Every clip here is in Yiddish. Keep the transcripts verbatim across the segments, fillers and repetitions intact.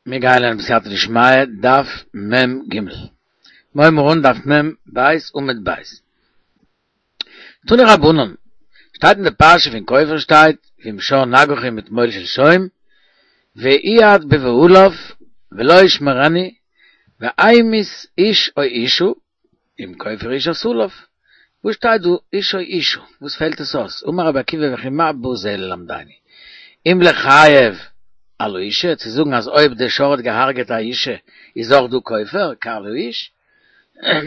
מיר גייען לערנען בסייעתא דשמיא, דף מ ג. מיר הייבן אן דף מ בית עמוד בית. תנו רבנן, שטייט אין די פרשה פון כופר שטייט ואם שור נגחו מתמול שלשום, ויעד בבעליו ולא ישמרנו, והמית איש או אשה, אם כופר איש את עליו. וואס שטייט דא איש או אשה? וואס פעלט עס אויס? אמר רבי עקיבא וכי מה בא זה ללמדני? אם לחייב על האשה, צו זאגן אז אויב דער שור האט געהארגעט א אישה איז אויך דא כופר, כעל האיש?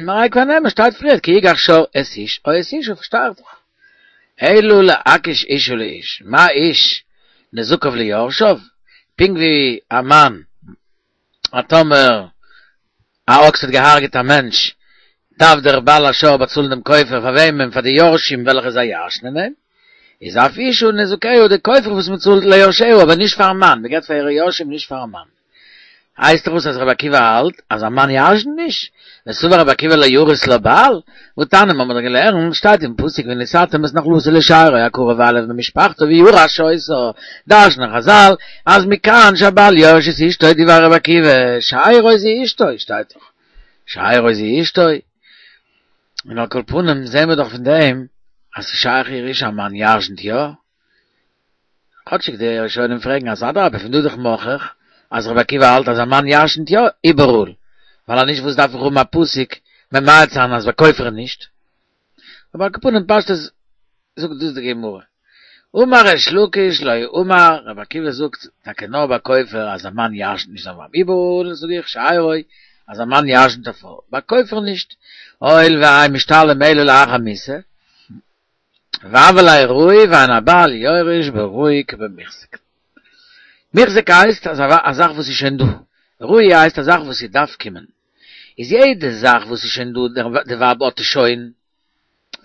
הרי כבר נאמר שטייט פריער כי יגח שור את איש או את אשה, פארשטיי איך דאך. אלא להקיש אשה לאיש, מה איש נזקיו ליורשיו, פונקט ווי א מאן, א טאמער א אקס האט געהארגעט א מענטש, דארף דער בעל השור באצאלן דעם כופר פאר וועמען? פאר די יורשים וועלכע זיי ירש'נען אים, איז אף אשה נזקיה די כופר וואס מען צאלט ליורשיה אבער נישט פארן מאן, מען געבט פאר אירע יורשים נישט פארן מאן. הייסט דאך וואס אז רבי עקיבא האלט אז א מאן ירש'נט נישט? וסבר רבי עקיבא לא ירית לה בעל? והתניא מ'האמיר דאך געלערנט, שטייט אין פסוק ונתתם את נחלתו לשארו הקרוב אליו ממשפחתו וירש אותה, דרש'נען חזל אז מכאן שהבעל יורש את אשתו דברי רבי עקיבא, שארו זו אשתו, שטייט דאך שארו זו אשתו. און על כל פנים זעהן מיר דאך פון דעם אז ס'איז שייך ירושה א מאן ירש'נט יא, כאטשיג די ראשונים פרעגן אז אדרבה פון דא איז דאך מוכח אז רבי עקיבא האלט אז א מאן ירש'נט יא איבעראל, ווייל אז נישט וואס דארף איך האבן א פסוק ממעט זיין אז ביי כופר נישט? אבער על כל פנים פשטות זאגט דאס די גמרא. אמר ריש לקיש לא אמר רבי עקיבא זאגט טאקע נאר ביי כופר אז א מאן ירש'נט נישט זיין ווייב איבעראל זאג איך שארו אז א מאן ירש'נט א פרוי ביי כופר נישט הואיל ואין משתלם אלא לאחר מיתה והוה ליה ראוי ואין הבעל יורש בראוי כבמוחזק. מוחזק הייסט אז א זאך וואס איז שוין דא, ראוי הייסט א זאך וואס איז דארף קומען. איז יעדע זאך וואס איז שוין דא, די ווייב האט עס שוין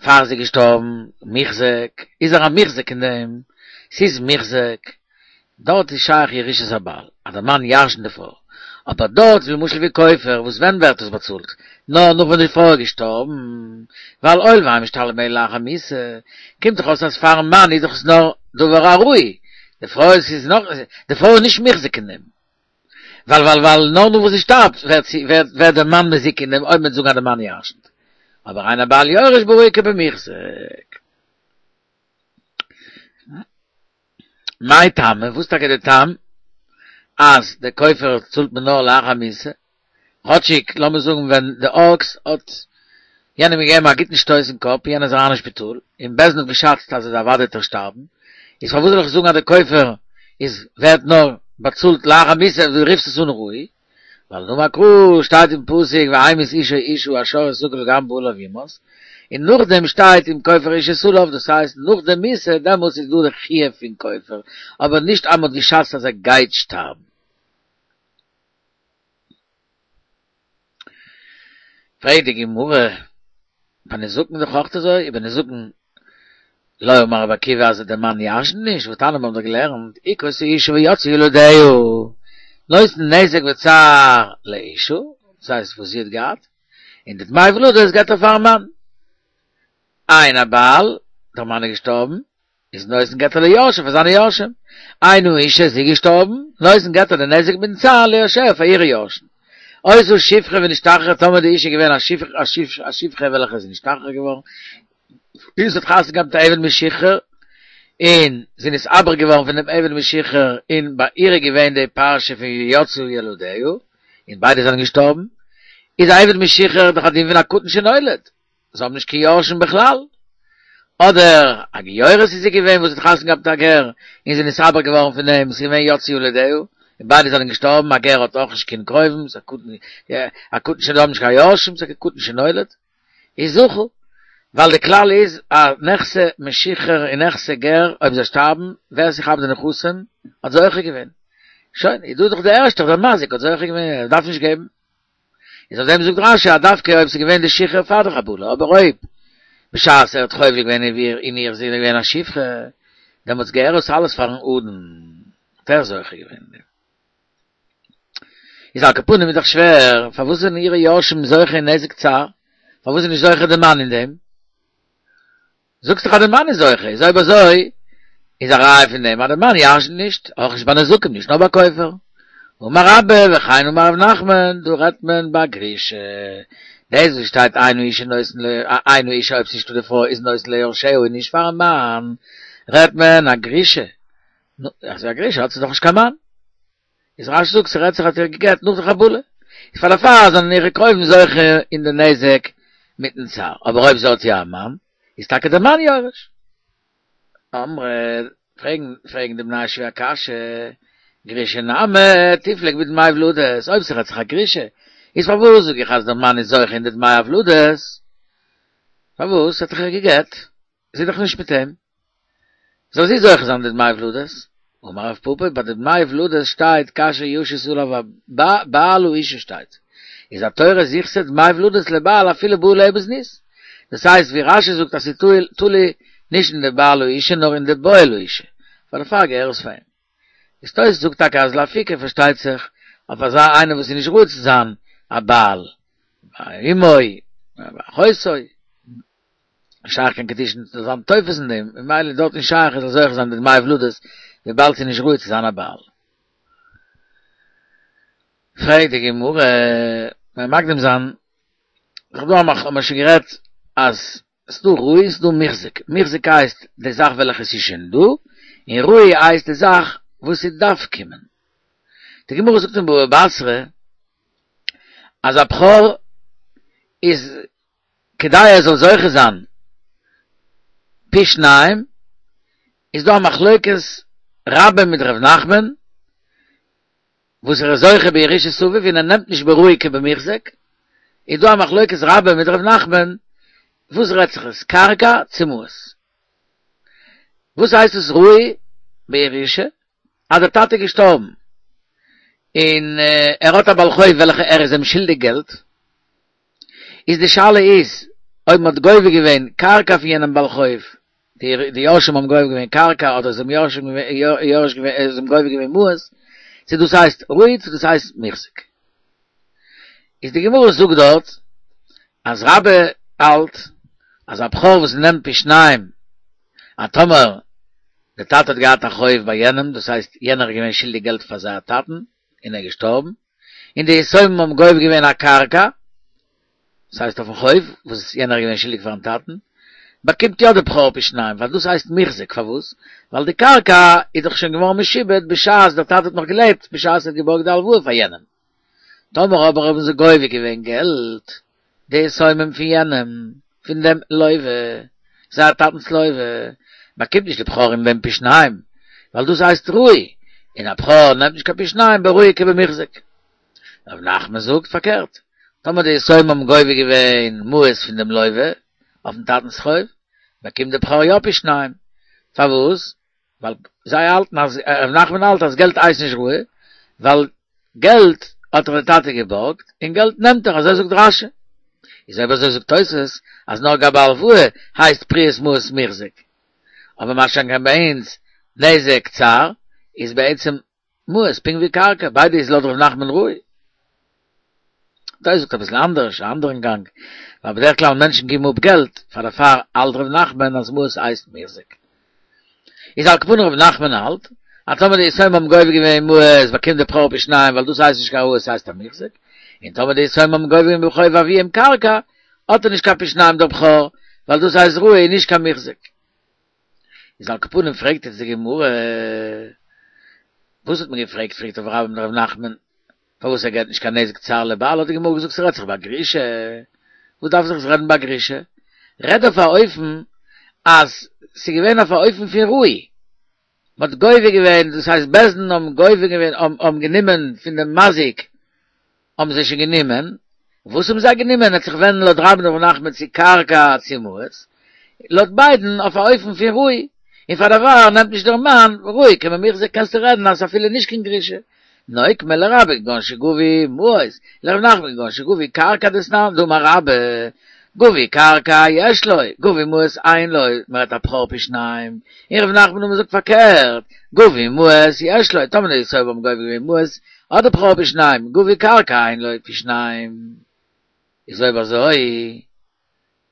פאר זי איז געשטארבן, מוחזק, איז ער א מוחזק אין דעם, ס'איז מוחזק, דארט איז שייך ירושת הבעל, אז דער מאן ירש'נט די פרוי, אבער דארט למשל ווי כופר, וואס ווען ווערט עס באצאלט? נאר נאך ווען די פרוי איז געשטארבן, ווייל הואיל ואין משתלם אלא לאחר מיתה, קומט דאך אויס אז פארן מאן איז דאך עס נאר דבר הראוי, די פרוי איז נאך, די פרוי איז נישט מוחזק אין דעם, ווייל ווייל ווייל נאר נאך וואס זי שטארבט ווערט זי ווערט ווערט דער מאן מזוקה אין דעם אויב מ'וועט זאגן אז דער מאן ירש'נט, אבער אין הבעל יורש בראוי כבמוחזק. מאי טעמא, וואס טאקע די טעם אז די כופר צאלט מען נאר לאחר מיתה? כאטשיג לאמיר זאגן ווען די אקס האט יענעם געגעבן א גוטן שטויס אין קאפ, יענער איז אריין אין שפיטאל, און בית דין האט געשאצט אז ער אוודאי וועט ער שטארבן, איז פארוואס זאל איך זאגן אז די כופר איז ווערט נאר באצאלט לאחר מיתה, דו רופסט עס אן ראוי? ווייל דאמר קרא שטייט אין פסוק והמית איש או אשה השור יסקל וגם בעליו יומת, און נאכדעם שטייט אם כופר איש את עליו, דאס הייסט נאך די מיתה דעמאלטס איז דא די חיוב פון כופר, אבער נישט אז מען האט געשאצט אז ער גייט שטארבן. פרעגט די גמרא, ביי נזקין דאך אויך אזוי, ובנזקין לא אמר רבי עקיבא אז דער מאן ירש'נט נישט, והתניא מיר האבן דאך געלערנט, הכה את האשה ויצאו ילדיה, נותן נזק וצער לאשה, דאס הייסט וואס זי האט געהאט, און די דמי ולדות געבט ער פארן מאן. אין הבעל, דער מאן איז געשטארבן, איז נותן געבט ער ליורשיו פאר זיינע יורשים. אין האשה איז זי געשטארבן, נותן געבט ער די נזק מיטן צער ליורשיה פאר אירע יורשים. היתה שפחה ונשתחררה טאמער די אישה איז געווען א שפחה וועלכע איז נשתחרר געווארן, און זי האט חתונה געהאט מיט א עבד משוחרר, און זי איז נתעבר געווארן פון דעם עבד משוחרר, און ביי איר איז געווען די פרשה פון יצאו ילדיה, און ביידע זענען געשטארבן, איז א עבד משוחרר דאך א דין פון א קטן שנולד, זיי האבן נישט קיין יורשים בכלל. אדער א גיורת איז זי געווען וואס האט חתונה געהאט מיט א גר, און זי איז נתעבר געווארן פון אים, ס'איז געווען יצאו ילדיה, און ביידע זענען געשטארבן, א גר האט אויך נישט קיין קרובים, ס'איז א קטן, א קטן שנולד האט נישט קיין יורשים, ס'איז א קטן שנולד, איז זכו, ווייל די כלל איז אז נכסי משוחרר און נכסי גר אויב זיי שטארבן, ווער ס'כאפט די נכסים האט זוכה געווען. שוין, איז דא דאך דער ערשטער, דער מזיק האט זוכה געווען, ער דארף נישט געבן. איז אויף דעם זאגט רש"י אז דווקא אויב ס'איז געווען די שחרור פאר די חבלה, אבער אויב בשעת ער האט חובל געווען אין איר אין איר איז זי געווען א שפחה, דעמאלטס געהער עס אלעס פארן אדון, האט ער זוכה געווען אין דעם. איז על כל פנים איז דאך שווער, פארוואס זענען אירע יורשים זוכה אין נזק צער? פארוואס איז נישט זוכה די מאן אין דעם? זאגסט דאך אז די מאן איז זוכה, איז אויב אזוי איז א ראיה פון דעם אז די מאן ירש'נט נישט, אויך נישט ביי נזקים נישט נאר ביי כופר. אמר רבה וכן אמר רב נחמן, דא רעדט מען ביי גרושה. דאס וואס שטייט אין האשה נותן ל אין האשה אויב ס'נישטא די פרוי איז נותן ליורשיה און נישט פארן מאן, רעדט מען א גרושה. נו, אז א גרושה האט זי דאך נישט קיין מאן. איז רשי זאגט ס'רעדט זיך האט איר געגט נאך די חבלה. איז פאר דערפאר זענען אירע קרובים זוכה אין די נזק מיטן צער. אבער אויב זי האט יא א מאן, איז טאקע דער מאן יורש. אמרי, פרעגן פרעגן די בני הישיבה א קשיא, גרושה נמי תיפלוג בדמי הולדות, אויב ס'רעדט זיך א גרושה, איז פארוואס זאג איך אז דער מאן איז זוכה אין די דמי הולדות? פארוואס האט ער איר געגט? זי איז דאך נישט מיט אים. זאל זי זוכה זיין די דמי הולדות? אמר רב פפא, ביי די דמי הולדות שטייט כאשר ישית עליו בעל האשה שטייט, איז התורה זיכתה דמי הולדות לבעל אפילו בא עליה בזנות. דאס הייסט ווי רשי זאגט אז ס'איז תלוי נישט אין די בעל האשה נאר אין די בועל האשה, פאר דערפאר געהער עס פאר אים. איז תוס' זאגט טאקע אז לאפוקי פארשטייט זיך אויף אזא איינער וואס איז נישט ראוי צו זיין א בעל, אמו, אחותו, נישט שייך קיין קידושין צו זיין תופס אין דעם, ממילא איז דארט נישט שייך ער זאל זוכה זיין די דמי הולדות וויבאלד ס'איז נישט ראוי צו זיין א בעל. פרעגט די גמרא, מיר מקדים זיין, דאך דא האבן מיר שוין גערעדט אז ס'דא ראוי ס'דא מוחזק, מוחזק הייסט די זאך וועלכע ס'איז שוין דא, און ראוי הייסט די זאך וואס ס'דארף קומען. די גמרא זאגט אין בבא בתרא אז א בכור איז כדי ער זאל זוכה זיין פי שניים, איז דא א מחלוקת רבה מיט ר' נחמן, וואס ער איז זוכה בירושת אביו און ער נעמט נישט בראוי כבמוחזק, איז דא א מחלוקת רבה מיט ר' נחמן, וואס רעדט זיך עס קרקע צו מעות? וואס הייסט עס ראוי בירושה? אז דער טאטע איז געשטארבן און ער האט א בעל חוב וועלכע ער איז אים שולדיג געלט, איז די שאלה איז אויב מען האט גובה געווען קרקע פון יענעם בעל חוב, די יורשים האבן גובה געווען קרקע אדער זיי האבן יורש געווען זיי האבן גובה געווען מעות, צו דאס הייסט ראוי צו דאס הייסט מוחזק. איז די גמרא זאגט דארט אז רבה האלט אז א בכור וואס נעמט פי שניים אז טאמער די טאטע האט געהאט א חוב ביי יענעם דאס הייסט יענער איז געווען שולדיג געלט פאר זייער טאטן און ער איז געשטארבן און די יתומים האבן גובה געווען א קרקע דאס הייסט אויפן חוב וואס יענער איז געווען שולדיג פארן טאטן, באקומט יא די בכור פי שניים, ווייל דאס הייסט מוחזק, פארוואס? ווייל די קרקע איז דאך שוין געווארן משועבד בשעת דער טאטע האט נאך געלעבט, בשעת ער האט געבארגט די הלוואה פאר יענעם. טאמער אבער האבן זיי גובה געווען געלט, די יתומים פון יענעם, פון דעם לוה, זייער טאטנ'ס לוה, באקומט נישט די בכור אין דעם פי שניים, ווייל דאס הייסט ראוי, און א בכור נעמט נישט קיין פי שניים בראוי כבמוחזק. רב נחמן זאגט פארקערט, טאמער די יתומים האבן גובה געווען מעות פון דעם לוה אויפן טאטנ'ס חוב, באקומט דער בכור יא פי שניים. פארוואס? ווייל זיי האלטן אז, רב נחמן האלט אז געלט הייסט נישט ראוי, ווייל געלט האט דאך דער טאטע געבארגט, און געלט נעמט ער, אזוי זאגט רש"י. איז אויב אזוי זאגט תוס' אז נאר גבי הלוואה הייסט פריעת מעות מוחזק. אבער מה שאין כן ביי אונז נזק צער איז בעצם מעות, פונקט ווי קרקע, ביידע איז לויט ר' נחמן ראוי. תוס' זאגט אביסל אנדערש, א אנדערן גאנג, ווייל בדרך כלל מענטשן גיבן אפ געלט, פאר דערפאר האלט ר' נחמן אז מעות הייסט מוחזק. איז על כל פנים ר' נחמן האלט, אז טאמער די יתומים האבן גובה געווען מעות באקומט דער בכור פי שניים ווייל דאס הייסט נישט קיין ראוי עס הייסט א מוחזק, און טאמער די יתומים האבן גובה געווען בחוב אביהם קרקע, האט ער נישט קיין פי שניים דער בכור, ווייל דאס הייסט ראוי און נישט קיין מוחזק. איז על כל פנים פרעגט יעצט די גמרא, וואס האט מען געפרעגט פרעגט אויף רבה מיט ר' נחמן, פארוואס ער געט נישט קיין נזק צער לבעל, האט די גמרא געזאגט ס'רעדט זיך ביי גרושה, וואס דארף זיך עס רעדן ביי גרושה, רעד אויף א אופן אז ס'איז געווען אויף א אופן פון ראוי, מ'האט גובה געווען, דאס הייסט בית דין האבן גובה געווען, האבן גענומען פון דעם מזיק האבן זיי שוין גענומען, וואס האבן זיי גענומען וועט זיך ווענדן לויט רבה און ר' נחמן צו קרקע צו מעות, לויט ביידן אויף א אופן פון ראוי, און פאר דערפאר נעמט נישט דער מאן ראוי כבמוחזק קענסטו רעדן אז אפילו נישט קיין גרושה, נוקמה לרבה כגון שגבו מעות, לר' נחמן כגון שגבו קרקע דתנן דאמר רבה, גבו קרקע יש לו, גבו מעות אין לו, מ'רעדט א בכור פי שניים, און ר' נחמן האט געזאגט פארקערט, גבו מעות יש לו, טאמער די יתומים האבן גובה געווען מעות האט דער בכור פי שניים, גבו קרקע אין לו פי שניים. איז אויב אזוי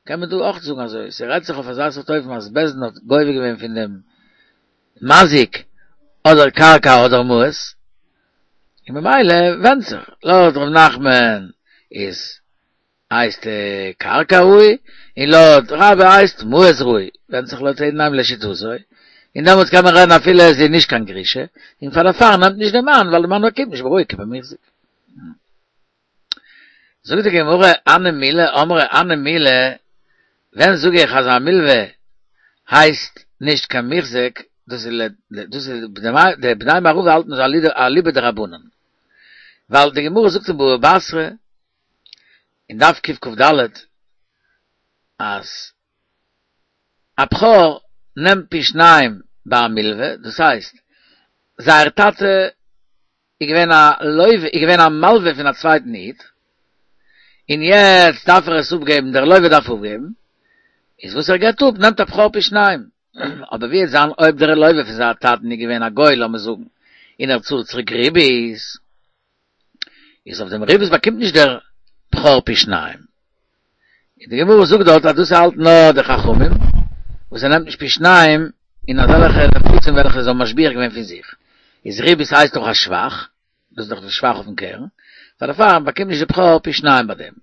קען מען דא אויך זאגן אזוי, ס'רעדט זיך אויף אזא סארט אופן אז בית דין האט גובה געווען פון דעם מזיק אדער קרקע אדער מעות, און ממילא ווענדט זיך, לויט ר' נחמן איז הייסט קרקע ראוי, און לויט רבה הייסט מעות ראוי, ווענדט זיך לויט יעדן איינעם לשיטתו, און דעמאלטס קען מען רעדן אפילו עס איז נישט קיין גרושה, און פאר דערפאר נעמט נישט דער מאן, ווייל דער מאן באקומט נישט בראוי כבמיחזק. זאגט די גמרא, הני מילי אמרי הני מילי, ווען זאג איך אז א מלווה הייסט נישט קיין מוחזק, דאס איז דאס איז די בני מערבא האלטן אזוי אליבא דרבנן, ווייל די גמרא זאגט אין בבא בתרא אין דף קכ"ד אז א בכור נעמט פי שניים ביי א מלווה, דאס הייסט זייער טאטע איז געווען א לווה, איז געווען א מלווה פון א צווייטן איד, און יעצט דארף ער עס אפגעבן, דער לווה דארף אפגעבן, איז וואס ער געבט אפ נעמט א בכור פי שניים, אבער ווי וועט זיין אויב דער לווה פון זייער טאטן איז געווען א גוי לאמיר זאגן, און ער צאלט צוריק ריבית, איז אויף דעם ריבית באקומט נישט דער בכור פי שניים. און די גמרא זאגט דארט אז דאס האלט נאר די חכמים, וואס ער נעמט נישט פי שניים אין אזעלכע נכסים וועלכע זיי האבן משביח געווען פון זיך, איז ריבית הייסט דאך א שבח, דאס איז דאך די שבח אויפן קרן, פאר דערפאר באקומט נישט די בכור פי שניים ביי דעם,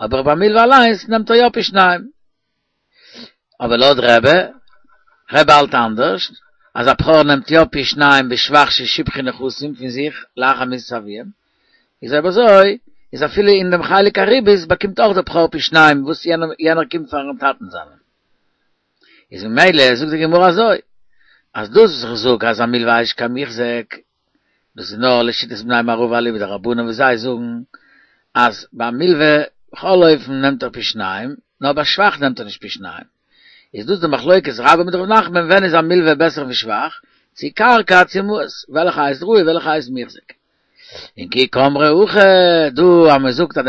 אבער ביי מלווה אליינס נעמט ער יא פי שניים. אבער לויט רבי, רבי האלט אנדערש, אז א בכור נעמט יא פי שניים בשבח ששיבחו נכסים פון זיך לאחר מיתת אביהם, איז אויב אזוי איז אפילו אין דעם חלק הריבית באקומט אויך דער בכור פי שניים וואס יענער קומט פארן טאטן זיינעם. איז ממילא זאגט די גמרא אזוי, אז דאס וואס איך זאג אז א מלווה איז נישט קיין מוחזק, דאס איז נאר לשיטת בני מערבא אליבא דרבנן וואס זיי זאגן אז ביי מלווה בכל אופן נעמט ער פי שניים, נאר ביי שבח נעמט ער נישט פי שניים. איז דאס די מחלוקת רבה מיט ר' נחמן ווען איז א מלווה בעסער ווי שבח, צו קרקע צו מעות, וועלכע הייסט ראוי וועלכע הייסט מוחזק. און כי קאמרי הכא, דא אז מען זאגט אז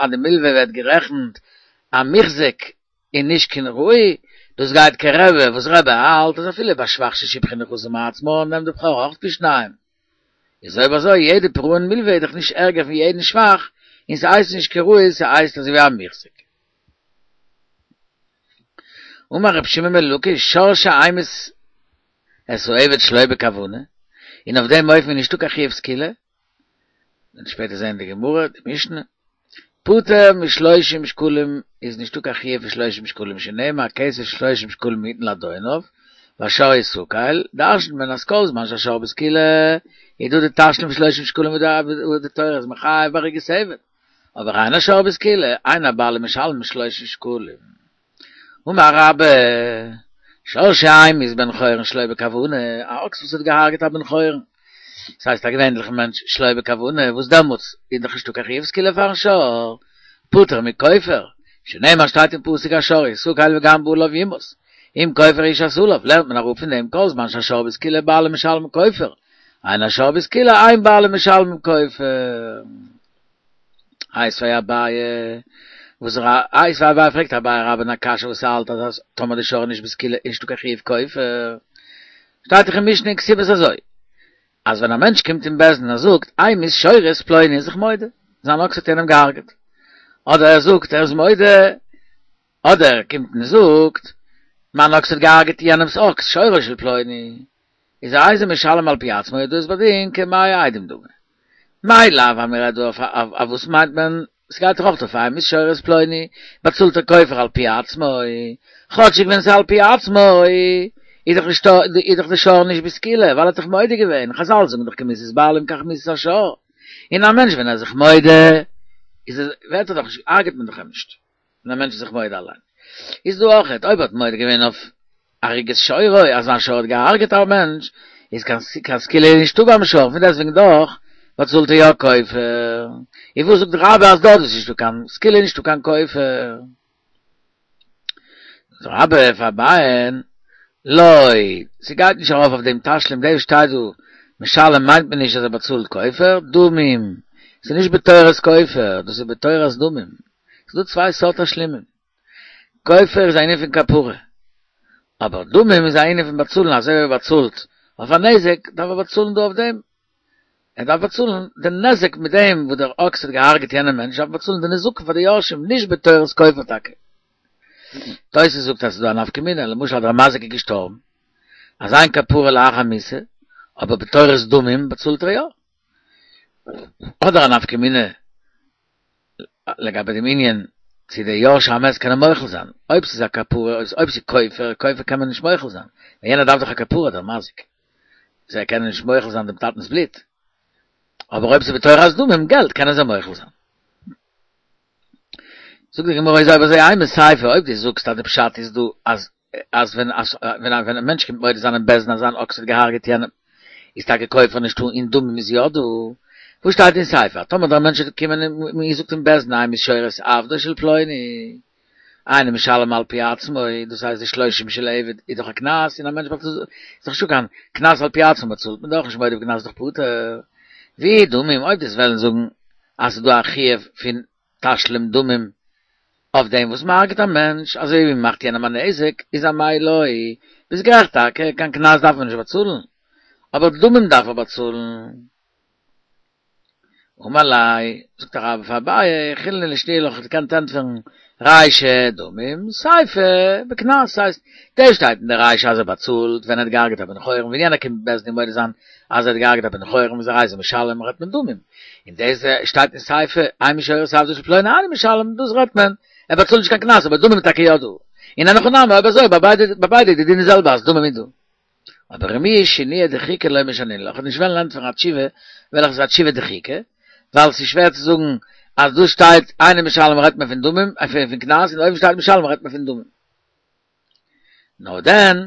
די מלווה ווערט גערעכנט א מוחזק און נישט קיין ראוי, דאס גייט כרבי, וואס רבי האלט אז אפילו ביי שבח ששיבחו נכסים מעצמן נעמט די בכור אויך פי שניים. איז אויב אזוי יעדע פירעון מלווה איז דאך נישט ערגער פון יעדן שבח, און ס'הייסט נישט קיין ראוי ס'הייסט אזוי ווי א מוחזק. אמר רבי שמעון בן לקיש, שור שהמית את העבד שלא בכוונה, און אויף דעם אופן איז נישטא קיין חיוב סקילה, וועט שפעטער זען די גמרא, די משנה, פטור משלושים שקלים איז נישטא קיין חיוב פון שלושים שקלים שנאמר כסף שלושים שקלים יתן לאדוניו והשור יסקל, דרש'נט מען אז כל זמן שהשור בסקילה איז דא די תשלום פון שלושים שקלים וואס די תורה איז מחייב בהריגת עבד, אבער אין השור בסקילה אין הבעלים משלמים שלושים שקלים. אמר רבה, שור שהמית בן חורין שלא בכוונה, א אקס וואס האט געהארגעט א בן חורין, דאס הייסט א געווענליכן מענטש שלא בכוונה, וואס דעמאלטס איז דאך נישטא קיין חיוב סקילה פארן שור, פטור מכופר, שנאמר שטייט אין פסוק השור יסקל וגם בעליו יומת, אם כופר יושת עליו, לערנט מען אראפ פון דעם כל זמן שהשור בסקילה בעלים משלמים כופר, אין השור בסקילה אין בעלים משלמים כופר. איתיביה אביי, וואס איתיביה אביי פרעגט אביי רבה'ן א קשיא וואס האלט אז טאמער די שור איז נישט בסקילה איז נישטא קיין חיוב כופר, שטייט דאך אין משנה אין כתובות אזוי, אז ווען א מענטש קומט אין בית דין און ער זאגט המית שורי את פלוני איז זיך מודה, זיין אקס האט יענעם געהארגעט, אדער ער זאגט ער איז מודה, אדער ער קומט און זאגט מיין אקס האט געהארגעט יענעמס אקס שורו של פלוני, איז הרי זה משלם על פי עצמו איז דאס בדין כמאה עדים דמי. מאי לאו אז מ'רעדט דא אויף אויף וואס מיינט מען ס'גייט דאך אויך אויף המית שורו את פלוני, באצאלט ער כופר על פי עצמו, כאטשיג ווען ס'איז על פי עצמו איז דאך נישטא איז דאך די שור נישט בסקילה ווייל ער האט זיך מודה געווען, חזל זאגן דאך כמיתת בעלים כך מיתת השור, און א מענטש ווען ער איז זיך מודה איז ער ווערט ער דאך נישט הרג'ט מען דאך אים נישט ווען א מענטש איז זיך מודה אליין. איז דא אויכעט אויב ער האט מודה געווען אויף הריגת שורו אז זיין שור האט געהארגעט א מענטש איז קיין קיין סקילה נישטא ביים שור פון דעסטוועגן דאך באצאלט ער יא כופר איז וואס זאגט רבה אז דארט איז נישטא קיין סקילה נישטא קיין כופר זאגט רבה פאר אביי'ן לא ס'גייט נישט ארויף אויף דעם תשלום דער שטייט דא משלם מיינט מען נישט אז ער באצאלט כופר דמים ס'איז נישט בתורת כופר דאס איז בתורת דמים ס'איז דא צוויי סארט תשלומים כופר איז א ענין פון כפרה, אבער דמים איז א ענין פון באצאלן, אזוי ווי ער באצאלט אויף א נזק, דארף ער באצאלן דא אויף דעם, ער דארף באצאלן די נזק מיט דעם וואס דער אקס האט געהארגעט יענעם מענטש, דארף מען באצאלן די נזקים פאר די יורשים, נישט בתורת כופר טאקע. תוס' זאגט אז ס'איז דא א נפקא מינה, למשל אז דער מזיק איז געשטארבן, אז אין כפרה לאחר מיתה, אבער בתורת דמים באצאלט ער יא. אדער א נפקא מינה לגבי דעם ענין צו די יורשי המת קענען מוחל זיין, אויב ס'איז א כפרה, אויב ס'איז כופר, כופר קען מען נישט מוחל זיין, ווייל יענער דארף דאך א כפרה דער מזיק, זיי קענען נישט מוחל זיין דעם טאטנ'ס בלוט, אבער אויב ס'איז בתורת דמים, געלט, קענען זיי מוחל זיין. זאגט די גמרא אויב אזוי אימא סיפא, אויב דו זאגסט אז די פשט איז דא אז אז ווען ווען ווען א מענטש קומט מודה זיין אין בית דין אז זיין אקס האט געהארגעט יענעם, איז טאקע כופר נישטא און דמים איז יא דא. וואס שטייט אין סיפא? טאמער דער מענטש וועט קומען און געזאגט אין בית דין המית שור את עבדו של פלוני, אינו משלם על פי עצמו, דאס הייסט די שלושים של עבד איז דאך א קנס און א מענטש באצאלט, איז דאך נישטא קיין קנס על פי עצמו באצאלט מען דאך נישט מודה בקנס איז דאך פטור. ואי דמים, אויב דו'סט וועלן זאגן אז ס'איז דא א חיוב פון תשלום דמים אויף דעם וואס מ'הרג'ט א מענטש, אזוי ווי מ'מאכט יענעם א נזק, איז אמאי לא, ביסט גערעכט טאקע, קיין קנס דארף מען נישט באצאלן, אבער דמים דארף ער באצאלן. אמר ליה, זאגט רבה פאר אביי, יכילנא לאשתעויי לך, כ'וואלט געקענט ענטפערן, רישא דמים, סיפא בקנס, ס'הייסט, דא שטייט אין די רישא אז ער באצאלט ווען ער האט געהארגעט א בן חורין, ווען יענער קומט בית דין מודה זיין אז ער האט געהארגעט א בן חורין איז הרי זה משלם רעדט מען דמים, און דאס שטייט אין סיפא המית שור את עבדו של פלוני אינו משלם, דאס רעדט מען, ער באצאלט נישט קיין קנס אבער דמים איז טאקע יא דא, און אין הכי נמי אויב אזוי ביי ביידע ביי ביידע איז די דין די זעלבע אז דמים איז דא. אבער רמויי שינויא דחיקא לא משנינא לך, כ'וועל נישט וועלן ענטפערן א תשובה וועלכע איז א תשובה דחיקא, ווייל ס'איז שווער צו זאגן אז דא שטייט אינו משלם רעדט מען פון דמים, פון קנס, און אויבן שטייט משלם רעדט מען פון דמים. נאר דען,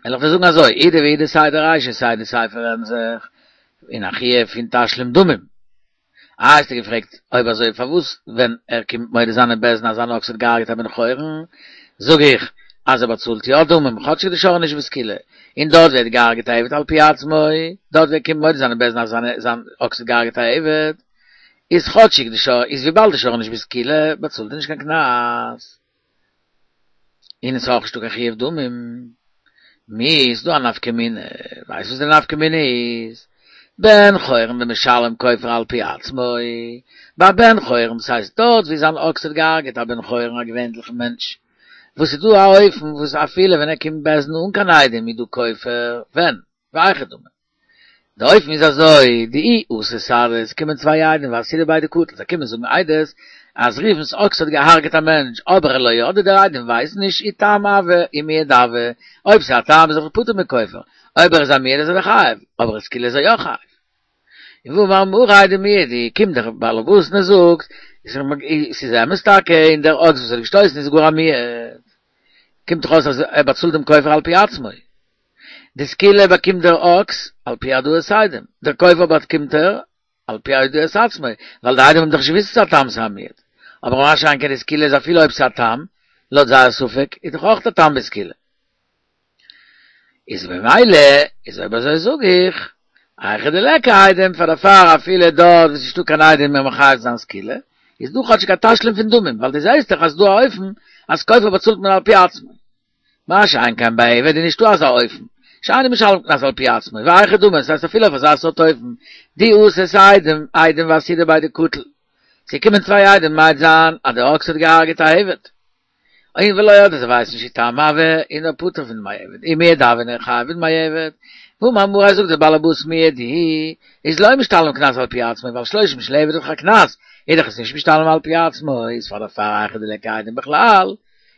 וועל איך דיר זאגן אזוי, אידי ואידי סיי די רישא סיי די סיפא רעדן זיך אין א חיוב פון תשלום דמים. איי האסטו געפרעגט אויב אזוי פארוואס ווען ער קומט מודה זיין אין בית דין אז זיין אקס האט געהארגעט א בן חורין זאג איך אז ער באצאלט יא דמים כאטשיג די שור איז נישט בסקילה און דארט ווערט געהארגעט א עבד על פי עצמו דארט ווער קומט מודה זיין אין בית דין אז זיין אקס האט געהארגעט א עבד איז כאטשיג די שור איז וויבאלד די שור איז נישט בסקילה באצאלט ער נישט קיין קנס. און עס איז אויך נישטא קיין חיוב דמים. מי איז דא א נפקא מינה? ווייסט וואס די נפקא מינה איז? בן חורין דמשלם כופר על פי עצמו, ביי בן חורין, דאס הייסט דארט ווי זיין אקס האט געהארגעט א בן חורין א געווענליכן מענטש, וואס איז דא א אופן וואס אפילו ווען ער קומט בית דין אן קיין עדים איז דא כופר, ווען? והיכי דמי. די אופן איז אזוי, דאי אתו סהדי, עס קומען צוויי עדים ואסהידו בי דקטיל, זיי קומען זאגן עדות אז ראובן'ס אקס האט געהארגעט א מענטש, אבער לא ידעי די עדים ווייסן נישט אי תם הוה אי מועד הוה, אויב ס'איז א תם איז ער פטור מכופר, אויב ער איז א מועד איז ער דאך חייב, אבער סקילה איז ער יא חייב. און והאמר מריה דמועד הוא, קומט דער בעל הבית און ער זאגט, ס'איז אמת טאקע, און דער אקס וואס האט געשטויסן איז גאר א מועד. קומט דאך אויס אז ער באצאלט דעם כופר על פי עצמו. די סקילה באקומט דער אקס על פי העדאת עדים, דער כופר באקומט ער על פי הודאת עצמו, ווייל די עדים האבן דאך נישט געוואוסט ס'איז א תם ס'איז א מועד. אבער מה שאין כן די סקילה איז אפילו אויב ס'איז א תם, לויט זייער ספק, איז דאך אויך א תם בסקילה. איז ממילא, איז אויב אזוי זאג איך, היכא דליכא עדים פאר דערפאר אפילו דארט וואו ס'איז נישטא קיין עדים מען מחייב זיין סקילה, איז דא כאטשיג א תשלום פון דמים, ווייל דו זעהסט דאך אז ס'דא א אופן אז כופר באצאלט מען על פי עצמו. מה שאין כן ביי עבד איז נישטא אזא אופן, שאינו משלם קנס על פי עצמו, והיכי דמי, ס'הייסט אפילו אויף אזא סארט אופן, דאי אתו סהדי עדים ואסהידו בי דקטיל, ס'קומען צוויי עדים מעיד זיין אז דער אקס האט געהארגעט א עבד, און ולא ידעי זיי ווייסן נישט אי תם הוה איז ער פטור פון דמי עבד, אי מועד הוה איז ער חייב בדמי עבד, והאמר מריה זאגט דער בעל הבית מועד הוא, איז לא משתלם קנס על פי עצמו, ווייל שלושים של עבד איז דאך א קנס, איז דאך עס נישט משתלם על פי עצמו, איז פאר דערפאר היכא דליכא עדים בכלל,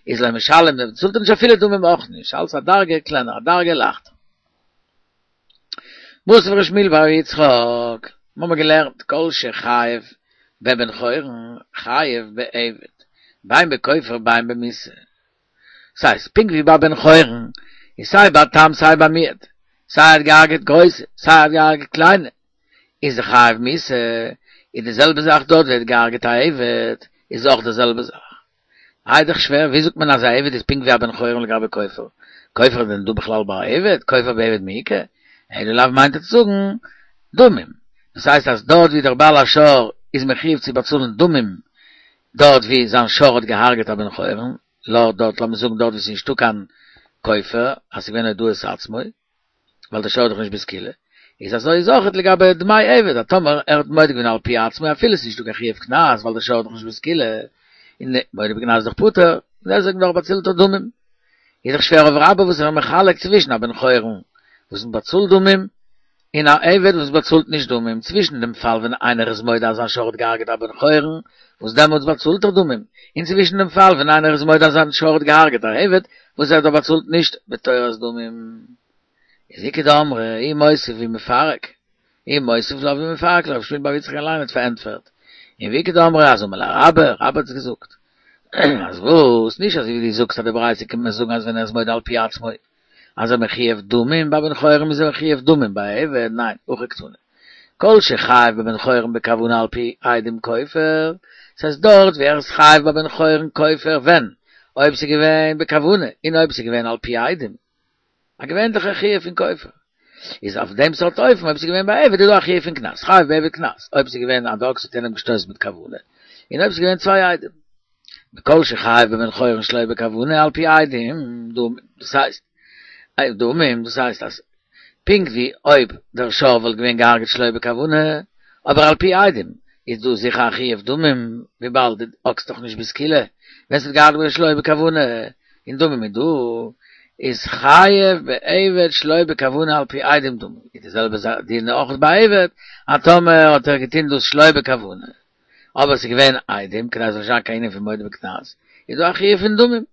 איז לא משלם, ער באצאלט נישט אפילו דמים אויך נישט, אלס א דרגה קלענער, א דרגה לייכטער. מתיב ר' שמואל בר יצחק, מיר האבן געלערנט כל שחייב בבן חורין חייב בעבד, בין בכופר בין במיתה. ס'הייסט, פונקט ווי ביי בן חורין איז סיי ביי תם סיי ביי מועד, סיי ער האט געהארגעט גרויסע סיי ער האט געהארגעט קליינע, איז ער חייב מיתה, איז די זעלבע זאך דארט ווי ער האט געהארגעט א עבד, איז אויך די זעלבע זאך. איי דאך שווער, ווי זאגט מען אז א עבד איז פונקט ווי א בן חורין לגבי כופר? כופר איז דען דא בכלל ביי א עבד? כופר בעבד מי איכא? אלא לאו מיינט ער צו זאגן דמים. דאס הייסט אז דארט ווי דער בעל השור איז מחיוב צו באצאלן דמים דארט ווי זיין שור האט געהארגעט א בן חורין, לא דארט לאמיר זאגן דארט ווי ס'איז נישטא קיין כופר אז ס'איז געווען הודאת עצמו, ווייל דער שור איז דאך נישט בסקילה, איז אזוי איז אויכעט לגבי דמי עבד, אז טאמער ער האט מודה געווען על פי עצמו אפילו עס איז נישטא קיין חיוב קנס ווייל דער שור איז דאך נישט בסקילה, און מודה בקנס איז דאך פטור, און דעסוועגן דאך באצאלט ער דמים. איז דאך שווער אויף רבה וואס איז מחלק צווישן א בן חורין וואס מען באצאלט דמים, און א עבד וואס באצאלט נישט דמים, צווישן דעם פאל ווען איינער איז מודה אז זיין שור האט געהארגעט א בן חורין, וואס דעמאלטס באצאלט ער דמים, און צווישן דעם פאל ווען איינער איז מודה אז זיין שור האט געהארגעט א עבד, וואס ער באצאלט נישט בתורת דמים. איז איכא דאמרי, הוא מוסיף והוא מפרק, הוא מוסיף לה והוא מפרק לה, רב שמואל בר יצחק אליין האט פארענטפערט. און ואיכא דאמרי אז אמר ליה רבה, רבה האט עס געזאגט. אז וואס? נישט אזוי ווי דו זאגסט אז די ברייתא קומט מיר זאגן אז ווען ער איז מודה על פי עצמו אז ער מחויב דמים ביי בן חורין איז ער מחויב דמים ביי עבד, ניין, הכי קתני. כל שחייב בבן חורין בכוונה על פי עדים כופר, ס'הייסט דארט ווי ער איז חייב ביי בן חורין כופר ווען? אויב ס'איז געווען בכוונה און אויב ס'איז געווען על פי עדים. א געווענליכע חיוב פון כופר. איז אויף דעם סארט אופן אויב ס'איז געווען ביי עבד איז דא א חיוב פון קנס, חייב בעבד קנס, אויב ס'איז געווען אז די אקס האט יענעם געשטויסן מיט כוונה, און אויב ס'איז געווען צוויי עדים. וכל שחייב בבן חורין שלא בכוונה על פי עדים, דאס הייסט, דמים, דאס הייסט אז פונקט ווי אויב דער שור וואלט געווען געהארגעט שלא בכוונה, אבער על פי עדים, איז דא זיכער א חיוב דמים, וויבאלד די אקס דאך נישט בסקילה, ווען ס'האט געהארגעט שלא בכוונה, און דמים איז דא, איז חייב בעבד שלא בכוונה על פי עדים דמים, איז די זעלבע זאך דין אויך ביי עבד, אז טאמער האט ער געטון דאס שלא בכוונה, אבער ס'איז געווען עדים, כדי ס'זאל נישט זיין קיין ענין פון מודה בקנס, איז דא א חיוב פון דמים.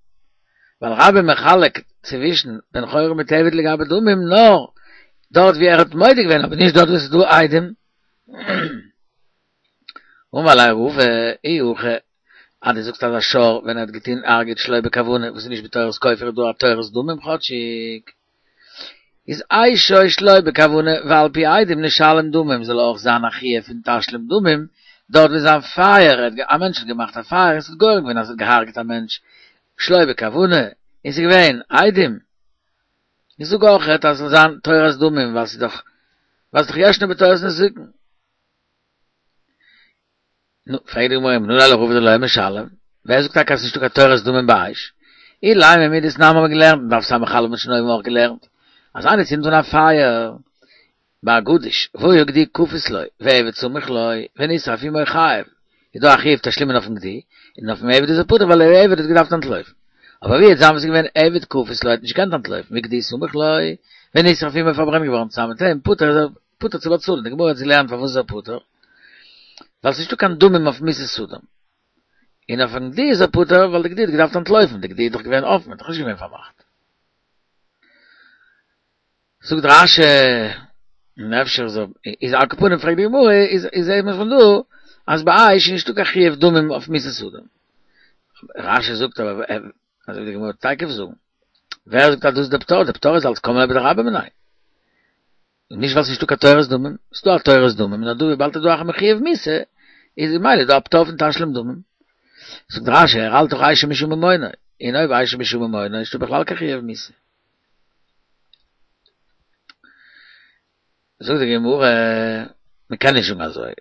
ווייל רבה מחלק צווישן בן חורין מיט עבד לגבי דמים נאר דארט ווי ער האט מודה געווען אבער נישט דארט וואו ס'איז דא עדים. אמר ליה רבא אי הכי אז דו זאגסט אז א שור ווען ער האט געטון הרג'עט שלא בכוונה וואס איז נישט בתורת כופר איז דא א תורת דמים כאטשיג איז אשו שלא בכוונה ועל פי עדים נשלם דמים זאל אויך זיין א חיוב פון תשלום דמים דארט ווי זיין פייער א מענטש האט געמאכט א פייער און ס'האט גורם געווען אז ס'האט געהארגעט א מענטש שלא בכוונה און ס'איז געווען עדים איך זאג אויכעט אז ס'זאל זיין תורת דמים ווייל ס'איז דאך ווייל ס'איז דאך ישנו בתורת נזיקין. נו, פרעגט די גמרא, מנא ליה לרבא דלא משלם, ווער זאגט טאקע אז ס'נישטא קיין תורת דמים ביי אש? אילימא מדתנן האבן מיר געלערנט, אין דף ס"א האט מען שוין אויבן אויך געלערנט, אז איינער צינדט אן א פייער ביי א גדיש, והיה גדי כפות לו, ועבד סמוך לו, ונשרף עמו חייב, איז דא א חיוב תשלומין אויפן גדי, און אויפן עבד איז ער פטור ווייל דער עבד האט געדארפט אנטלויפן. אבער ווי וועט זיין וואס איז געווען עבד כפות לו האט נישט געקענט אנטלויפן, וגדי סמוך לו, ונשרף עמו פארברענט געווארן צוזאמען מיט אים, פטור איז ער פטור צו באצאלן, די גמרא האט געלערנט פארוואס איז ער פטור, ווייל ס'נישטא קיין דמים אויף מיתת אדם. און אויפן גדי איז ער פטור ווייל די גדי האט געדארפט אנטלויפן, די גדי איז דאך געווען אפן, איז דאך נישט געווען פארמאכט. זאגט רש"י, און אפשר איז איז על כל פנים פרעגט די גמרא, איז איז זעהט מען פון דא אז ביי אש איז נישטא קיין חיוב דמים אויף מיתת אדם. רש"י זאגט אבער, אזוי ווי די גמרא וועט תיכף זאגן, ווער זאגט אז דאס איז די פטור? די פטור איז אלס קם ליה בדרבה מיניה. און נישט ווייל ס'נישטא קיין תורת דמים, ס'דא א תורת דמים, נאר דא וויבאלד איז דא א חיוב מיתה, איז ממילא דא א פטור פון תשלום דמים. זאגט רש"י, ער האלט דאך אשו משום ממונו, און אויב אשו משום ממונו איז נישטא בכלל קיין חיוב מיתה. זאגט די גמרא, מ'קען נישט זאגן אזוי,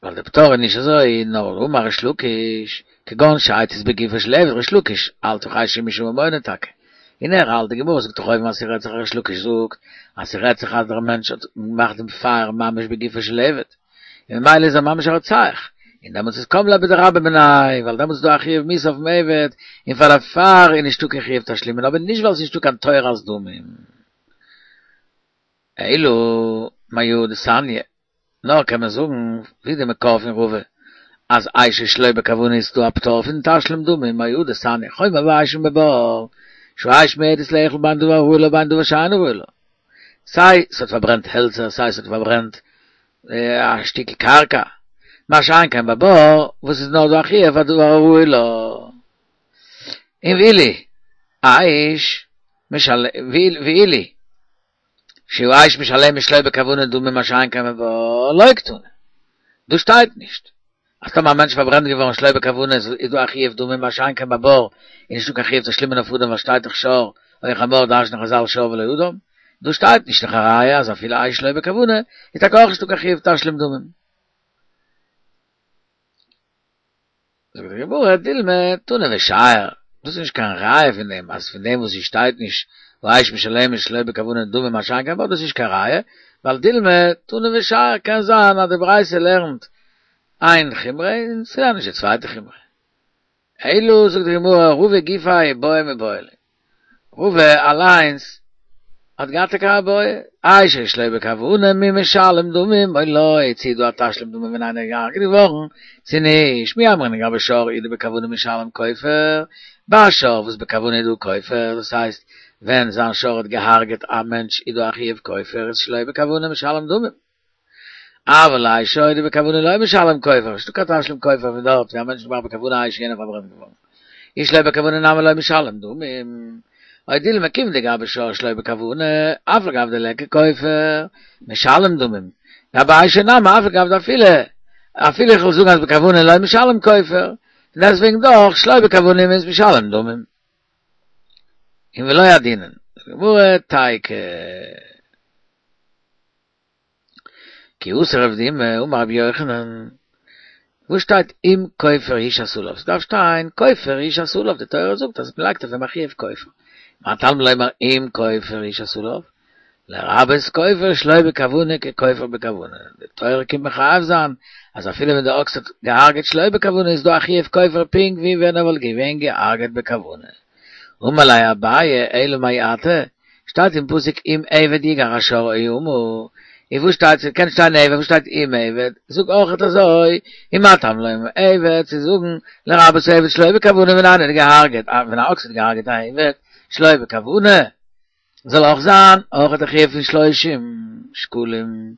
ווייל די פטור איז נישט אזוי, נאר אמר ריש לקיש, כגון שהצית בגופו של עבד ריש לקיש האלט דאך אשו משום ממונו טאקע, און ער האלט, די גמרא זאגט דאך אויבן אז ס'רעדט זיך ריש לקיש זאגט אז ס'רעדט זיך אז דער מענטש האט געמאכט דעם פייער ממש בגופו של עבד, און ממילא איז ער ממש א רוצח, און דעמאלטס איז קם ליה בדרבה מיניה, ווייל דעמאלטס איז דא א חיוב מיתה אויפן עבד, און פאר דערפאר איז נישטא קיין חיוב תשלומין, אבער נישט ווייל ס'איז נישטא קיין תורת דמים. אלא מהא דתניא, נאר קען מען זאגן ווי די מקור פון רבא אז אשו שלא בכוונה איז דא א פטור פון תשלום דמים מהא דתניא חומר באש ובבור שהאש מועדת לאכול בין דבר הראוי לה ובין דבר שאינו ראוי לה סיי ס'האט פארברענט העלצער סיי ס'האט פארברענט א שטיקל קרקע מה שאין כן בבור וואס איז נאר דא א חיוב פאר דבר הראוי לה און ואילו אש ואילו שהאש משלמת שלא בכוונה דמים מה שאין כן בבור לא קתני. דא שטייט נישט אז טאמער א מענטש פארברענט געווארן שלא בכוונה איז דא א חיוב דמים מה שאין כן בבור איז נישטא קיין חיוב תשלומין אויף אדם ווייל שטייט דאך שור או חמור דרש'נען חזל שור ולא אדם. דא שטייט נישט דאך א ראיה אז אפילו אש שלא בכוונה איז טאקע אויך נישטא קיין חיוב תשלום דמים. זאגט די גמרא, דילמא תנא ושייר, דאס איז נישט קיין ראיה פון דעם אז פון דעם וואס עס שטייט נישט והאש משלמת שלא בכוונה דמים מה שאין כן בבור, דאס איז נישט קיין ראיה, ווייל דילמא תנא ושייר קען זיין אז די ברייתא לערנט איין חומרא און ס'לערנט נישט די צווייטע חומרא. אלא זאגט די גמרא, רבא גופיה בעי מיבעי ליה, רבא אליינס האט געהאט טאקע א בעיא, איי שור שלא בכוונה מי משלם דמים או לא, צי דא א תשלום דמים ווען איינער איז געהארגעט געווארן, צי נישט, מי אמרינן גבי שור אי דבכוונה משלם כופר, ביי שור וואס בכוונה איז דא כופר, דאס הייסט ווען זיין שור האט געהארגעט א מענטש איז דא א חיוב כופר, איז שלא בכוונה משלם דמים. אבל אשו דבכוונה לא משלם כופר, נישטא קיין תשלום כופר פון דארט ווי א מענטש האט געמאכט בכוונה אש איז יענער פארברענט געווארן. איז שלא בכוונה נמי לא משלם דמים. או דילמא כיון דגבי שור שלא בכוונה, אף על גב דליכא כופר, משלם דמים. גבי אשו נמי אף על גב דאפילו, אפילו איך וועל זאגן אז בכוונה לא משלם כופר, פון דעסטוועגן דאך שלא בכוונה איז משלם דמים. און ולא ידינן. זאגט די גמרא תיקו. כי אתא רב דימי אמר רבי יוחנן, וואו שטייט אם כופר יושת עליו? ס'דארף שטיין כופר יושת עליו, די תורה זאגט אז מ'לייגט אויף אים א חיוב כופר. מה תלמוד לומר אם כופר יושת עליו? לרבות כופר שלא בכוונה ככופר בכוונה. די תורה קומט מחייב זיין אז אפילו ווען די אקס האט געהארגעט שלא בכוונה איז דא א חיוב כופר פונקט ווי ווען ער וואלט געווען געהארגעט בכוונה. אמר ליה אביי אלא מעתה, שטייט אין פסוק אם עבד יגח השור או אמה, און וואו שטייט ס'קען שטיין עבד וואו שטייט אם עבד, זאג אויכעט אזוי, ומה תלמוד לומר עבד צו זאגן לרבות עבד שלא בכוונה ווען איינער האט געהארגעט ווען א אקס האט געהארגעט א עבד שלא בכוונה זאל אויך זיין אויכעט א חיוב פון שלושים שקלים,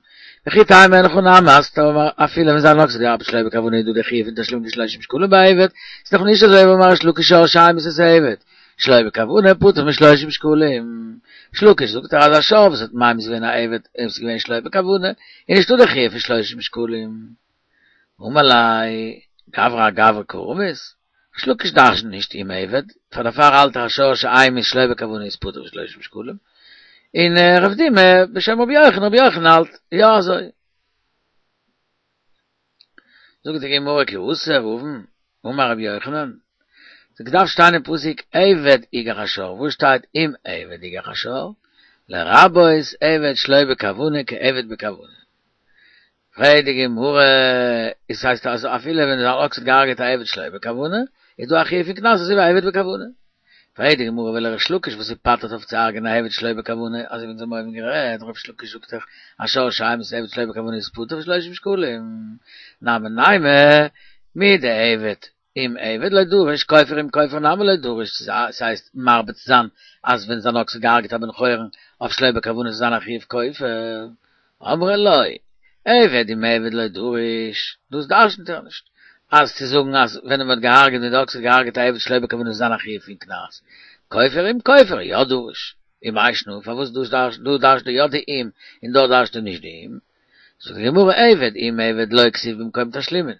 וכי תימא אין הכי נמי אז טאמער אפילו ווען זיין אקס האט געהארגעט שלא בכוונה איז דא די חיוב פון תשלומין דשלושים שקלים ביי עבד, איז דאך נישט אזוי והאמר ריש לקיש שור שהמית את העבד שלא בכוונה פטור משלושים שקלים. ריש לקיש זאגט ער אז א שור וואס האט ממית געווען א עבד און עס איז געווען שלא בכוונה איז נישטא די חיוב פון שלושים שקלים. אמר ליה גברא אגברא קא רמית, ריש לקיש דרש'נט נישט אם עבד, פאר דערפאר האלט ער א שור שהמית שלא בכוונה איז פטור משלושים שקלים, און רב דימי בשם רבי יוחנן, רבי יוחנן האלט יא אזוי. זאגט די גמרא כי אתא רבין, אמר רבי יוחנן, ס'האט געדארפט שטיין אין פסוק עבד יגח השור, וואו שטייט אם עבד יגח השור? לרבות עבד שלא בכוונה כעבד בכוונה. פרעגט די גמרא, עס הייסט אז אפילו ווען אן אקס האט געהארגעט א עבד שלא בכוונה, איז דא א חיוב פון קנס אזוי ווי א עבד בכוונה. פרעגט די גמרא ולריש לקיש וואס ער פטר'ט אויף צו הרג'ענען א עבד שלא בכוונה, אזוי ווי אונז האבן אויבן גערעדט, ריש לקיש זאגט דאך א שור שהמית עבד שלא בכוונה איז פטור משלושים שקלים, נמי נימא מדעבד אם עבד לא דריש כופר אם כופר נמי לא דריש, ס'הייסט מרבה צו זיין אז ווען זיין אקס האט געהארגעט א בן חורין אויף שלא בכוונה זאל זיין א חיוב כופר, אמרי לא, עבד אם עבד לא דריש, דאס דרשנ'ט ער נישט, אז צו זאגן אז ווען מען האט געהארגעט ווען די אקס האט געהארגעט א עבד שלא בכוונה זאל זיין א חיוב פון קנס, כופר אם כופר יא דריש, ומאי שנא פארוואס דא דרש'נט ער יא די אם און דארט דרש'נט ער נישט די אם, זאגט די גמרא עבד אם עבד לא כתיב במקום תשלומין,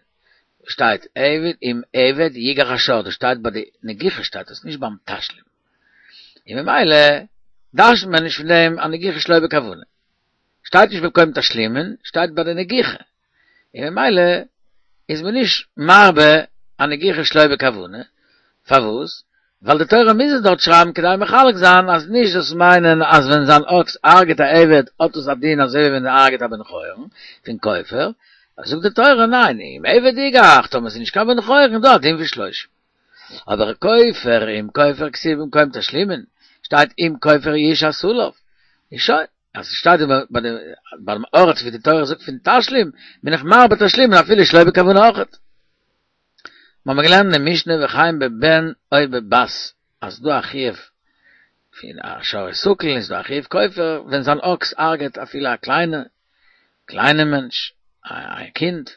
שטייט עבד אם עבד יגח השור, דאס שטייט ביי די נגיחה שטייט עס נישט ביים תשלום, און ממילא דרש'נט מען נישט פון דעם א נגיחה שלא בכוונה, שטייט נישט במקום תשלומין, שטייט ביי די נגיחה, און ממילא איז מען נישט מרבה א נגיחה שלא בכוונה, פארוואס? ווייל די תורה מוז עס דארט שרייבן כדי מחלק זיין אז נישט זאלסט מיינען אז ווען זיין אקס הרג'ט א עבד האט עס א דין אזוי ווי ווען ער הרג'ט א בן חורין פון כופר, זאגט די תורה ניין אם עבד יגח טאמער עס איז נישט קיין בן חורין איז דא א דין פון שלושים. אבער כופר אם כופר כתיב במקום תשלומין שטייט אם כופר יושת עליו איז שוין אז עס שטייט ביי דעם ארט ווי די תורה זאגט פון תשלום בין איך מרבה תשלומין אפילו שלא בכוונה אויכעט. מיר האבן געלערנט אין משנה וכן בבן או בבת אז ס'דא א חיוב פון א שור הסקל איז דא א חיוב כופר ווען זיין אקס הרג'עט אפילו א קליינע קליינע מענטש א קינד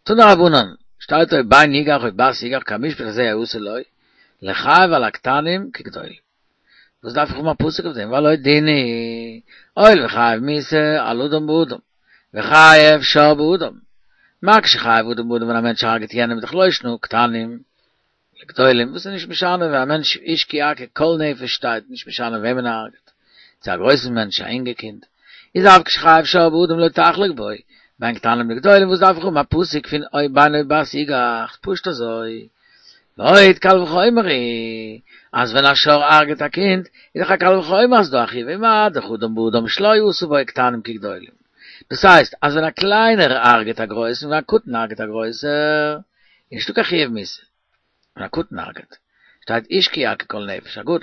תנו רבנן שטייט או בן יגח או בת יגח כמשפט הזה יעשה לו לחייב על הקטנים כגדולים וואס דארף איך האבן א פסוק אויף דעם והלא דין הוא הואיל וחייב מיתה על אדם באדם וחייב שור באדם מה כשחייב אדם באדם ווען א מענטש הרג'ט יענעם איז דאך לא שנא קטנים לגדולים וואס איז נישט משנה ווען א מענטש איש כי יכה כל נפש שטייט נישט משנה וועמען ער הרג'ט צו א גרויסן מענטש א אינגע קינד איז אף כשחייב שור באדם לא תחלוק בו בין קטנים לגדולים וואס דארף איך האבן א פסוק פון או בן או בת יגח פשוט אזוי ועוד קל וחומר הוא אז ווען א שור הרג'ט א קינד איז דאך א קל וחומר אז דא א חיוב ומה דאך אדם באדם שלא עשה בו קטנים כגדולים דאס הייסט אז ווען א קליינער הרג'ט א גרויסן ווען א קטן הרג'ט א גרויסער איז נישטא קיין חיוב מיתה ווען א קטן הרג'ט שטייט איש כי יכה כל נפש א גדול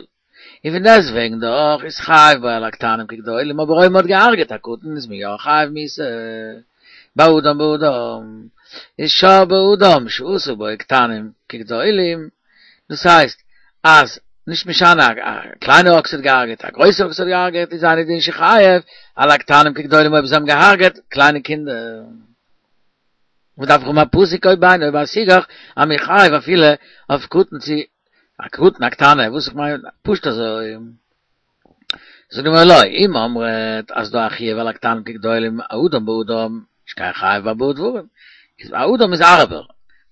און פון דעסטוועגן דאך איז חייב בו על הקטנים כגדולים, אבער אויב מ'האט געהארגעט א קטן איז מען יא חייב מיתה. באדם באדם איז שור באדם שעשו בו קטנים כגדולים, דאס הייסט אז נישט משנה א קליינער אקס האט געהארגעט א גרויסער אקס האט געהארגעט איז אינו דין שחייב על הקטנים כגדולים אויב זיי האבן געהארגעט קליינע קינדער. וואס דארף איך האבן א פסוק או בן או בת יגח אז מ'איז חייב אפילו אויף קטן צו א קטן א קטנה וואס איך מיין פשוט אזוי. זאגט די גמרא לא אם אמרת אז דא א חיוב על הקטנים כגדולים אדם באדם נישט קיין חיוב בארבעה דברים איז אדם איז הארבער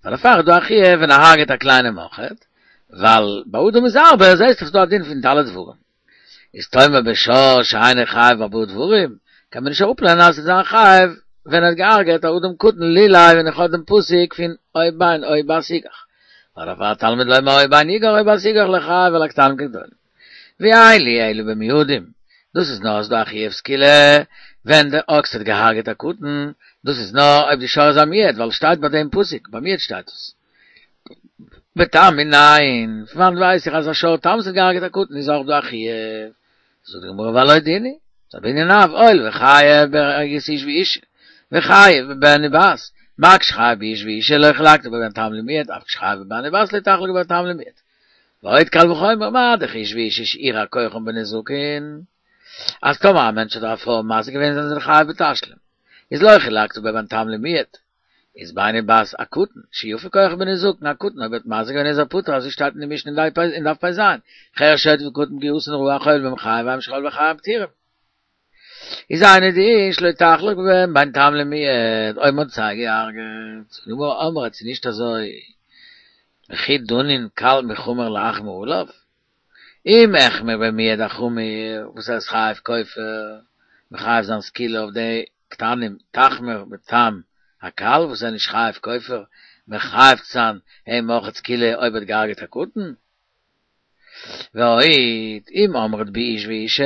ווייל דערפאר איז דא א חיוב ווען ער הרג'ט א קליינעם אויכעט ווייל ביי אדם איז הארבער זעהסט דאך ס'דא א דין פון ד' דברים איז תאמר בשור שאינו חייב בארבעה דברים קען מען נישט אראפלערנען אז ס'זאל זיין חייב ווען ער האט געהארגעט א אדם קטן לולא ווען איך האב דעם פסוק פון או בן או בת יגח ווייל דערפאר תלמוד לומר או בן יגח או בת יגח לחייב על הקטנים כגדולים ואין לי אלא במועדים דאס איז נאר אז דא א חיוב סקילה ווען דער אקס האט געהארגעט א קטן דאס איז נאר אויב די שור איז א מועד ווייל שטייט ביי דעם פסוק ביי מועד שטייט עס בתם מנין פון וואנעט ווייס איך אז א שור תם וואס האט געהארגעט א קטן איז אויך דא א חיוב זאגט די גמרא והלא דין הוא ס'איז א בנין אב הואיל וחייב בהריגת איש ואישה וחייב בבן ובת מה כשחייב באיש ואישה לא חילקת בו בין תם למועד אף כשחייב בבן ובת לא תחלוק בין תם למועד ועוד קל וחומר מה דאך איש ואישה שהורע כוחם בנזקין אז טאמער א מענטש האט א פרוי מזיק געווען זענען זיי חייב בתשלום איז לא חילקת בו בין תם למועד איז בן ובת א קטן שיפה כוחו בנזקין א קטן אויב האט מזיק געווען איז ער פטור אזוי שטייט אין די משנה אין דף פ"ז חרש שוטה וקטן פגיעתן רעה החובל בהם חייב ואין שחבל בחיים פטורים איז אינו דין שלא תחלוק בהם בין תם למועד אויב מ'האט זיי געהארגעט זאגט די גמרא אמרת ס'איז נישט אזוי וכי דנין קל מחמור להחמיר עליו אם החמיר במועד החמור וואס ער איז חייב כופר מחייב זיין סקילה אויף די קטנים תחמיר בתם הקל וואס ער איז נישט חייב כופר מחייב זיין אים אויך סקילה אויב ער האט געהארגעט א קטן ועוד אם אמרת באיש ואישה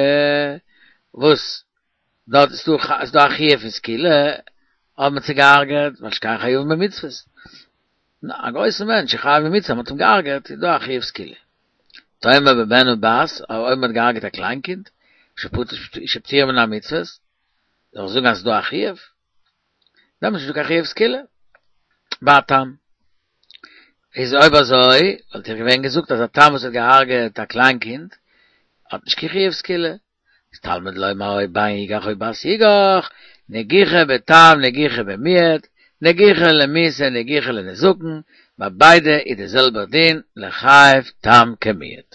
וואס דארט איז דא איז דא א חיוב פון סקילה האט מען זיי געהארגעט ווייל שכן חייבים במצוות א גרויסע מענטש איז חייב במצוה מ'האט אים געהארגעט איז דא א חיוב סקילה תאמר בבן ובת אויב מ'האט געהארגעט א קליין קינד שפטורים מן המצוות זאל איך זאגן אז ס'איז דא א חיוב דעמאלטס איז נישטא קיין חיוב סקילה ביי א תם איז אויב אזוי וואלט איך געווען געזאגט אז א תם וואס האט געהארגעט א קליין קינד האט נישט קיין חיוב סקילה איז תלמוד לומר או בן יגח או בת יגח נגיחה בתם נגיחה במועד נגיחה למיתה נגיחה לנזקין ביי ביידע איז די זעלבע דין לחייב תם כמועד.